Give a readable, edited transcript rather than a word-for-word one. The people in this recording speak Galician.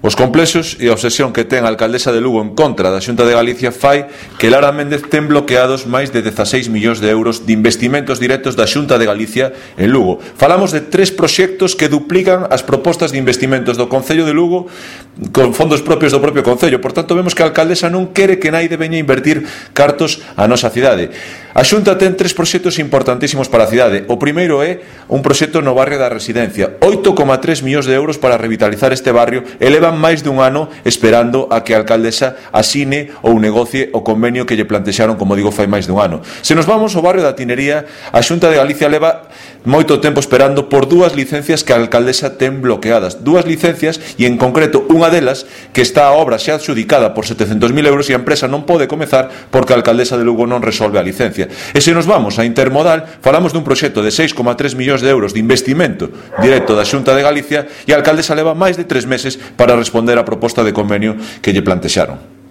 Os complexos e a obsesión que ten a alcaldesa de Lugo en contra da Xunta de Galicia fai que Lara Méndez ten bloqueados máis de 16 millóns de euros de investimentos directos da Xunta de Galicia en Lugo. Falamos de 3 proxectos que duplican as propostas de investimentos do Concello de Lugo con fondos propios do propio Concello. Por tanto, vemos que a alcaldesa non quere que naide veña invertir cartos a nosa cidade. A Xunta ten 3 proxectos importantísimos para a cidade. O primeiro é un proxecto no barrio da Residencia, 8,3 millóns de euros para revitalizar este barrio e levan máis dun ano esperando a que a alcaldesa asine ou negocie o convenio que lle plantexaron, como digo, fai máis dun ano. Se nos vamos ao barrio da Tinería, a Xunta de Galicia leva moito tempo esperando por 2 licencias que a alcaldesa ten bloqueadas. 2 licencias e, en concreto, unha delas que está a obra xa adxudicada por 700.000 euros e a empresa non pode comezar porque a alcaldesa de Lugo non resolve a licencia. E se nos vamos a Intermodal, falamos dun proxecto de 6,3 millóns de euros de investimento directo da Xunta de Galicia e a alcaldesa leva máis de 3 meses para responder á proposta de convenio que lle plantexaron.